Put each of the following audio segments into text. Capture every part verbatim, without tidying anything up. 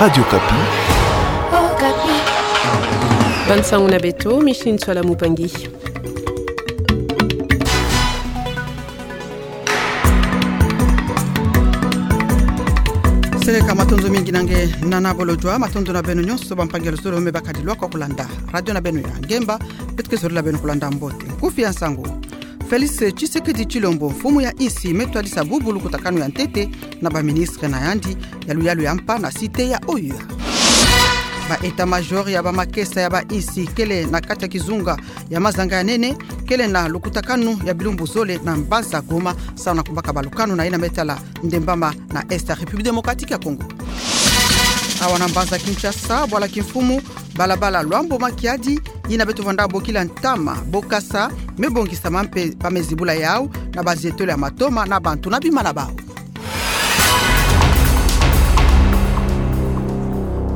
Radio Okapi. Okapi. Bansangu na beto, Micheline Ntsoila Mupangi. Seleka matondo mingi na nge nana bolodjwa, matondo na beno nyonso bampangi ya luzolo me bakadi lwaka kulanda radio na beno ya ngemba, beto ke zorila beno kulanda mbote. Nkufi ya nsangu. Félix Tshisekedi Tshilombo, mfumu ya insi, me twadisa bubu lukutakanu ya ntete na baministre na yandi ya luyalu ya mpa na cité ya O U A. Ba état-major ya bamakesa ya bainsi kele na kati ya kizunga ya mazanga ya nene, kele na lukutakanu ya bilumbu zole na mbanza Goma, samu na kubaka balukanu na yina me tala ndembama na Est ya République Démocratique ya Congo. Awa na mbanza Kinshasa, bwala kimfumu, balabala Luambo Makiadi, yina beto vwanda bokila ntama, bokasa, me bongisama mpe bamezibula yau na bazietolo ya matoma na bantu na bima na bau.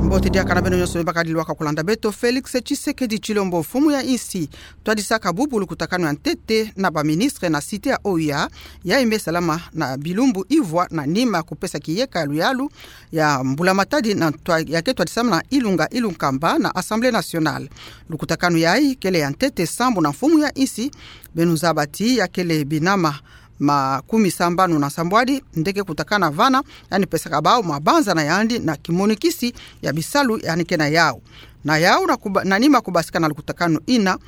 Mbote diaka na beno nyonso me bakadi lwaka kulanda beto. Félix Tshisekedi Tshilombo, mfumu ya insi, twadisaka bubu lukutakanu ya ntete na baministre na cité ya O U A, yayi me salama na bilumbu ivwa na nima kupesa kiyeka ya luyalu ya mbula matadi na ntwa-, ya ke twadisama na ilunga ilunkamba na Assemblée nationale. Lukutakanu yayi kele ya ntete sambu na mfumu ya insi, beno zaba ti ya kele binama makumi sambanu na sambwadi nde ke kutakana vana, yandi pesaka bau mabanza na yandi na kimonikisi ya bisalu yandi ke na yau. Na yau na kuba-, na nima kubasika na lukutakanu yina,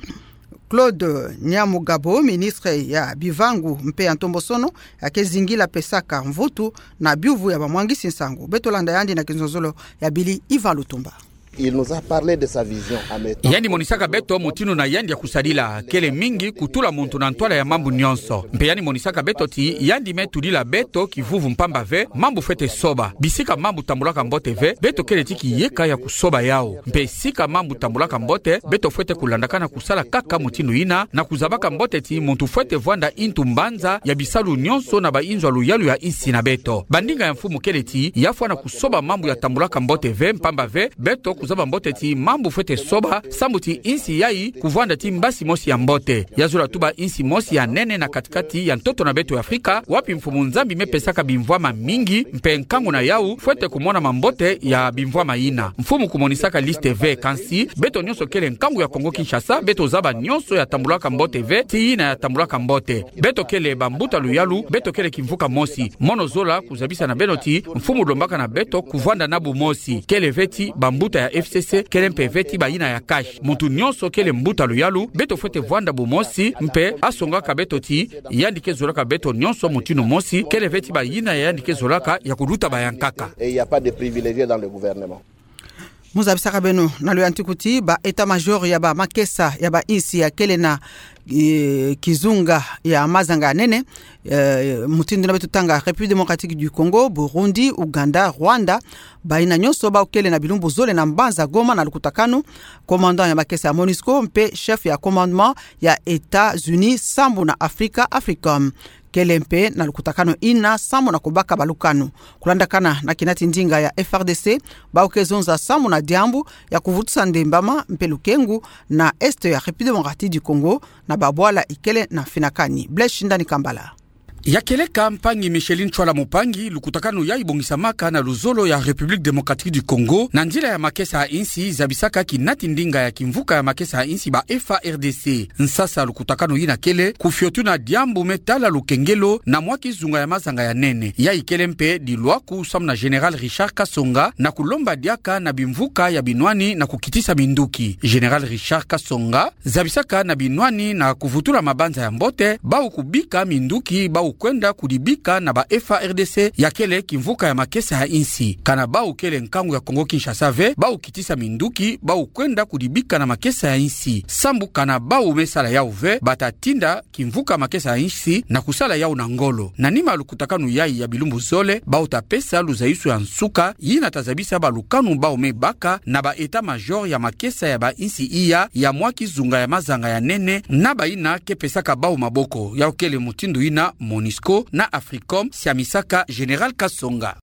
Claude Nyamugabo, ministre ya bivangu mpe ya ntombosono, ya ke zingila pesaka mvutu na biuvu ya bamwangisi nsangu. Beto landa yandi na kinzonzolo ya Billy Ivan Lutumba. Il nous a parlé de sa vision à mettre. Yandi monisaka beto mutindu na yandi ya kusadila, kele mingi kutula muntu na ntwala ya mambu nyonso. Mpe yandi monisaka beto ti yandi me tudila beto kivuvu mpamba ve, mambu fwete soba. Bisika mambu tambulaka mbote ve, beto kele ti kiyeka ya kusoba yau. Mpe sika mambu tambulaka mbote, beto fwete kulandakana kusala kaka mutindu yina, na kuzabaka mbote ti muntu fwete vwanda yintu mbanza ya bisalu nyonso na bayinzo ya luyalu ya insi na beto. Bandinga ya mfumu kele ti, ya fwana kusoba mambu ya tambulaka mbote ve, mpamba ve, beto kuzaba mbote ti mambu fwete soba, sambu ti insi yayi kuvwanda ti mbasi mosi ya mbote. Ya zola tuba insi mosi ya nene na katikati ya ntoto na beto ya Afrika, wapi Mfumu Nzambi me pesaka bimvwama mingi, mpe nkangu na yau fwete kumonama mbote ya bimvwama yina. Mfumu kumonisaka liste ve, kansi beto nyonso kele nkangu ya Kongo Kinshasa, beto zaba nyonso ya tambulaka mbote ve, ti yina ya tambulaka mbote. Beto kele bambuta luyalu, beto kele kimvuka mosi. Mono zola kuzabisa na beno ti, mfumu lombaka na beto kuvwanda na bumosi. Kele ve ti bambuta ya F C C, kele mpe ve ti bayina ya CACH. Muntu nyonso kele mbuta luyalu, beto fwete vwanda bumosi, mpe asongaka beto ti, yandi ke zolaka beto nyonso mutindu mosi, kele ve ti bayina ya yandi ke zolaka ya kuluta bayankaka. Et il y a pas de privilégiés dans le gouvernement. Mu zabisaka beno na luyantiku ti ba état-major ya bamakesa ya bainsi ya kele na, eh, kizunga ya mazanga ya nene, eh, mutindu na beto tanga République Démocratique du Congo, Burundi, Ouganda, Rwanda, bayina nyonso bau kele na bilumbu zole na mbanza Goma na lukutakanu, commandant ya makesa ya MONUSCO mpe chef ya commandement ya États-Unis sambu na Afrika, AFRICOM. Kele mpe na lukutakanu yina sambu na kubaka balukanu. Kulandakana na kinati ndinga ya F R D C, bau ke zonza sambu na diambu ya kuvutusa ndembama mpe lukengu na Est ya République Démocratique du Congo, na babwala ikele na mfinakani. Blaise Shindani Kambala. Ya kieleka mpangi Micheline Ntsoila Mupangi, lukutakanu yayi bongisamaka na luzolo ya République Démocratique du Congo, na nzila ya makesa ya insi, zabisaka kinati ndinga ya kimvuka ya makesa ya insi ba F A R D C. Nsasa lukutakanu yina kele, kufiotuna diambu me tala lukengelo na mwa kizunga ya mazanga ya nene. Yayi kele mpe dilwaku samu na Général Richard Kasonga na kulomba diaka na bimvuka ya binwani na kukitisa minduki. Général Richard Kasonga zabisaka na binwani na kuvutula mabanza ya mbote, bau kubika minduki bau kwenda kudibika na ba F A R D C, ya kele kimvuka ya makesa ya insi. Kana bau kele nkangu ya Kongo Kinshasa ve, bau kitisa minduki bau kwenda kudibika na makesa ya insi. Sambu kana bau me sala yau ve, bata tinda kimvuka makesa ya insi na kusala yau na ngolo. Na nima lukutakanu yayi ya bilumbu zole, bau ta pesa luzayisu ya nsuka, yina ta zabisa balukanu bau me baka na ba état-major ya makesa ya bainsi iya ya mwa kizunga ya mazanga ya nene, na bayina ke pesaka bau maboko, yau kele mutindu yina MONUSCO na AFRICOM, siamisaka Général Kasonga.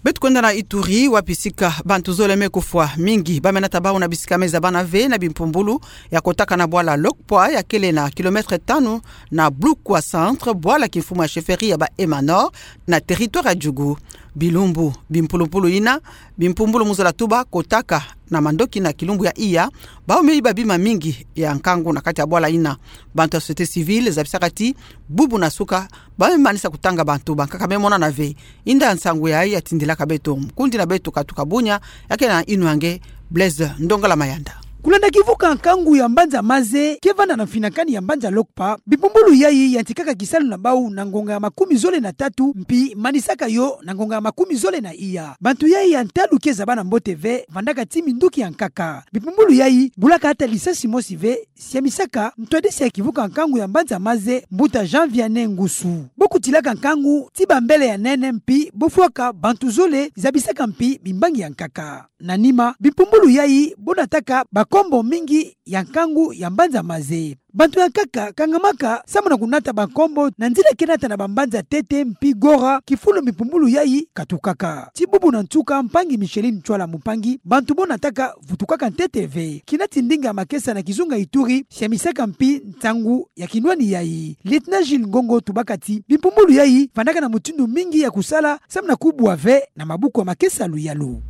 Beto kwenda na Ituri, wapi sika bantu zole me kufwa, mingi ba me nata bau na bisika me zabana ve na bimpumbulu ya kotaka na bwala Lokpwa ya kele na kilomètre tanu na Blukwa Centre, bwala kimfumu ya chefferie ya ba Emma Nord na territoire ya Djugu. Bilumbu bimpulumpulu ina, bimpumbulu mu zola tuba kotaka na mandoki na kilumbu ya iya, bau me iba bima mingi ya nkangu na kati ya bwala ina. Bantu ya société civile zabisaka ti bubu na suka, bau me manisa kutanga bantu bankaka me monana ve. Inda nsangu yayi yatindilaka beto mkundi na beto katuka bunia, ya ke na inu ya nge Blaise Ndongala Mayanda. Kulanda kivuka nkangu ya mbanza Maze ke vanda na mfinakani ya mbanza Lokpa, bipumbulu yayi yantikaka kisalu na bau na ngonga ya makumi zole na tatu, mpi manisaka yo na ngonga ya makumi zole na iya. Bantu yayi ya ntalu ke zaba na mbote ve, vandaka ti minduki ya nkaka. Bipumbulu yayi bulaka ata lisasi mosi ve, siamisaka ntwadisi ya kivuka nkangu ya mbanza Maze, mbuta Jean Vianney Ngusu. Bo kutilaka nkangu ti bambele ya nene mpi bo fwaka bantu zole, zabisaka mpi bimbangi ya nkaka. Na nima, bipumbulu yayi bo nataka bankombo mingi ya nkangu ya mbanza Maze. Bantu ya nkaka kangamaka samu na kunata bankombo na nzila ke nata na bambanza Tete mpi Gora, kifulu bipumbulu yayi katukaka. Ti bubu na nsuka, mpangi Micheline Ntsoila Mumpangi, bantu bo nataka vutukaka ntete ve. Kina ti ndinga ya makesa na kizunga Ituri siamisaka mpi nsangu ya kinwani yayi. Lieutenant Jules Ngongo tubaka ti bipumbulu yayi vandaka na mutindu mingi ya kusala samu na kubwa ve na mabuku ya makesa ya luyalu.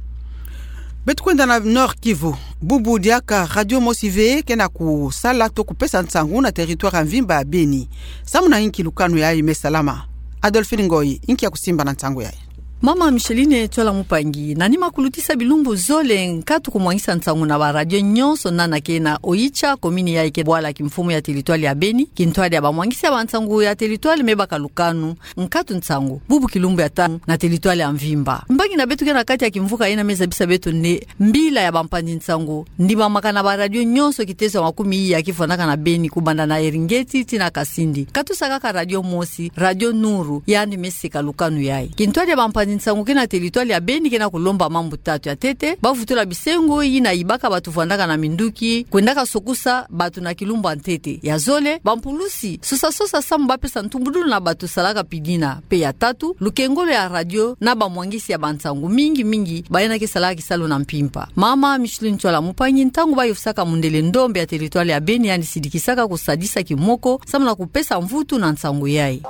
Beto kwenda na Nord-Kivu. Bubu diaka radio mosi ve ke na kusala to kupesa nsangu na territoire ya mvimba ya Beni. Samu na inki lukanu yayi me salama? Adolphine Ngoyi, inki ya kusimba na nsangu yayi? Mama Micheline Ntsoila Mumpangi, na nima kulutisa bilumbu zole nkatu kumwangisa nsangu na ba radio nyonso nana ke na Oicha, commune yayi ke bwala kimfumu ya territoire ya Beni, kintwadi ya bamwangisi ya bansangu ya territoire me baka lukanu nkatu nsangu, bubu kilumbu ya tanu na territoire ya mvimba. Mbangi na beto ke na kati ya kimvuka ina me zabisa beto nde mbila ya bampanzi nsangu ndimamaka na ba radio nyonso kitezo ya makumi iya ke fwanaka na Beni, kubanda na Eringeti tii na Kasindi. Katusa kaka radio mosi, Radio Nuru, yandi me seka lukanu yayi. Kintwadi ya bampanzi nsangu ke na territoire ya Beni ke na kulomba mambu tatu. Ya ntete, bavutula bisengo ina yibaka bantu vandaka na minduki kwendaka sokusa bantu na kilumbu ya ntete. Ya zole, bampulusi sosasosa samu bapesa ntumbudulu na bantu salaka pidina. Mpe ya tatu, lukengolo ya radio na bamwangisi ya bansangu, mingi mingi bayina ke salaka kisalu na mpimpa. Mama Micheline Ntsoila Mumpangi, ntangu bayofisaka mundele ndombe ya territoire ya Beni, yandi sidikisaka kusadisa kimoko samu na kupesa mvutu na nsangu yayi.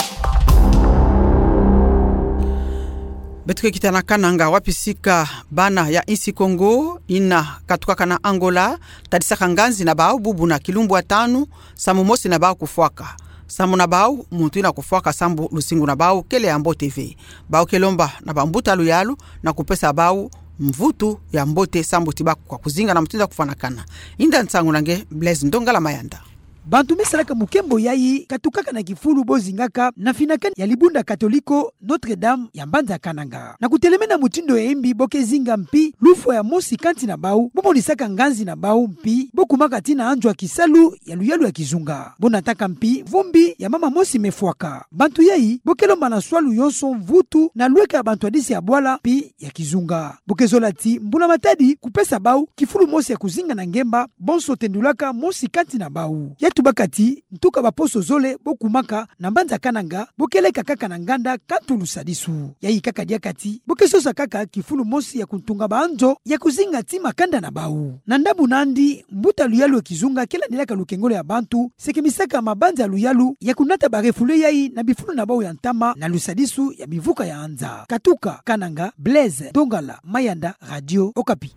Beto ke kita na Kananga, wapi sika bana ya insi Kongo ina katukaka na Angola tadisaka nganzi na bau bubu na kilumbu ya tanu, samu mosi na bau kufwaka. Samu na bau, muntu ina kufwaka sambu luzingu na bau kele ya mbote ve. Bau ke lomba na bambuta luyalu na kupesa bau mvutu ya mbote sambu ti bakwa kuzinga na mutindu ya kufwanakana. Inda nsangu na nge Blaise Ndongala Mayanda. Bantu me salaka mukembo yayi katukaka na kifulu bo zingaka na mfinakani ya libunda Katoliko Notre-Dame ya mbanza Kananga. Na kutelemena mutindu ya imbi, bo ke zinga mpi lufwa ya mosi kati na bau, bo monisaka nganzi na bau mpi bo kumaka tii na anzo ya kisalu ya luyalu ya kizunga. Bo nataka mpi vumbi ya mama mosi me fwaka. Bantu yayi bo ke lomba na swalu yonso mvutu na lweka ya bantwadisi ya bwala mpi ya kizunga. Bo ke zola ti mbula matadi kupesa bau kifulu mosi ya kuzinga na ngemba, bonso tendulaka mosi kati na bau. Ya tubaka ti ntuka baposo zole bo kumaka na mbanza Kananga, bo ke leka kaka na nganda kantu lusadisu. Yayi kaka diaka ti bo ke sosa kaka kifulu mosi ya kuntunga banzo ya kuzinga tii makanda na bau. Na ndambu nandi, mbuta luyalu ya kizunga ke landilaka lukengolo ya bantu, sekemisaka mabanza ya luyalu ya kunata ba refoulés yayi na bifulu na bau ya ntama na lusadisu ya bivuka ya anza. Katuka Kananga, Blaise Ndongala Mayanda, Radio Okapi.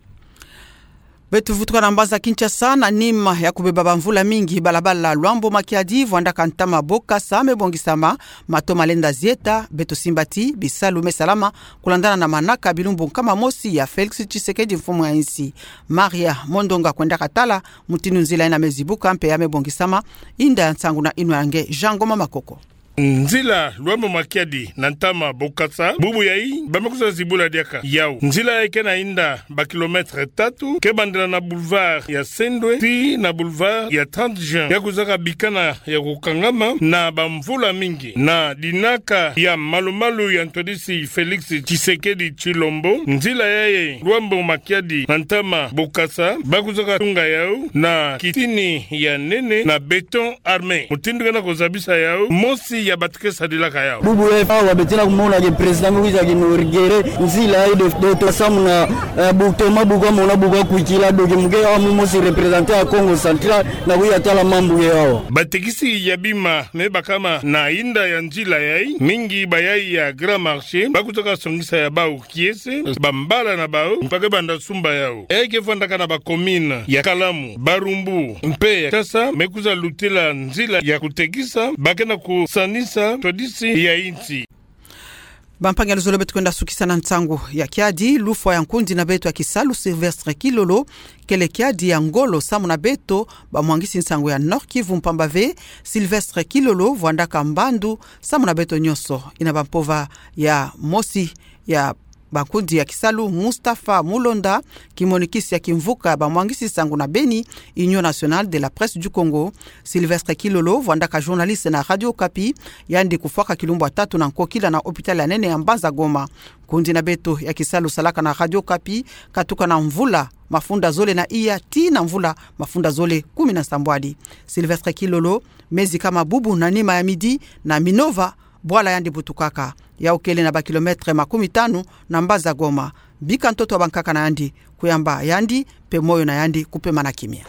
Beto vutuka na mbanza Kinshasa. Na nima ya kubeba bamvula mingi, balabala Luambo Makiadi vwandaka ntama Bokasa me bongisama, mato malenda zieta. Beto simba ti bisalu me salama kulandana na manaka bilumbu nkama mosi ya Félix Tshisekedi, mfumu ya insi. Maria Mondonga kwendaka tala mutindu nzila ina me zibuka mpe ya me bongisama. Inda nsangu na inwa ya nge Jean Ngoma Makoko. Nzila Luambo Makiadi na ntama Bokasa, bubu yayi ba me kwiza zibula diaka yau. Nzila yayi ke na inda ba kilomètres tatu, ke bandela na boulevard ya Sendwe tii na boulevard ya trente juin. Ya kwizaka bikana ya kukangama na bamvula mingi, na dinaka ya malu-malu ya ntwadisi Félix Tshisekedi Tshilombo. Nzila yayi Luambo Makiadi na ntama Bokasa, ba kwizaka tunga yau na kitini ya nene na béton armé. Mutindu ke na kuzabisa yau, mosi ya batekesadilaka yau. Bubu ya awa beto na kumona ke président me kwiza kinauguré nzila ya de, de to samu na, eh, bu toma bu kamona bu kakwikila, donc muke awa mu mosi représenter ya Kongo Central na kuya tala mambu ya awa. Batekisi ya bima me bakama na inda ya nzila yai, mingi bayai ya Grand Marché, bakutaka songisa ya bau kiese, bambala na bau, mpaka banda sumba yau. Eke vandaka na ba commune ya Kalamu, Barumbu, mpe ya Tasa, me kwiza lutela nzila ya kutekisa, ba ke na kusanisa twadisi ya insi. Bampangi ya luzolo, beto kwenda sukisa na nsangu ya kiadi. Lufwa ya nkundi na beto ya kisalu Sylvestre Kilolo, kele kiadi ya ngolo samu na beto bamwangisi nsangu ya Nord-Kivu, mpamba ve Sylvestre Kilolo vwandaka mbandu samu na beto nyonso. Ina bampova ya mosi ya bankundi ya kisalu, Mustapha Mulonda, kimonikisi ya kimvuka bamwangisi nsangu na beni, Union Nationale de la Presse du Congo. Sylvestre Kilolo vwandaka journaliste na Radio Okapi, yandi kufwaka kilumbu ya tatu na nkokila na hôpital ya nene ya mbanza Goma. Nkundi na beto ya kisalu salaka na Radio Okapi katuka na mvula mafunda zole na iya tii na mvula mafunda zole kumi na nsambwadi. Sylvestre Kilolo me zikama bubu na nima ya midi na Minova, bwala yandi butukaka, yau kele na ba kilomètre makumi tanu na mbanza Goma. Bika ntoto ya bankaka na yandi, kuyamba yandi, mpe moyo na yandi kupema na kimia.